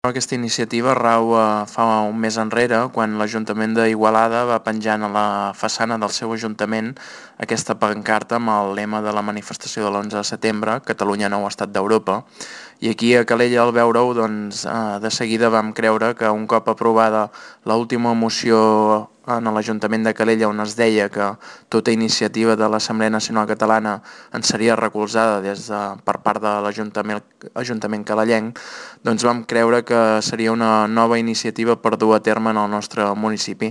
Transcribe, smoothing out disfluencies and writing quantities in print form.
Aquesta iniciativa rau fa un mes enrere, quan l'Ajuntament d'Igualada va penjant a la façana del seu ajuntament aquesta pancarta amb el lema de la manifestació de l'11 de setembre, Catalunya nou estat d'Europa, i aquí a Calella, al veure-ho, de seguida vam creure que un cop aprovada l'última moció en l'Ajuntament de Calella, on es deia que tota iniciativa de l'Assemblea Nacional Catalana en seria recolzada per part de l'Ajuntament calellenc, doncs vam creure que seria una nova iniciativa per dur a terme en el nostre municipi.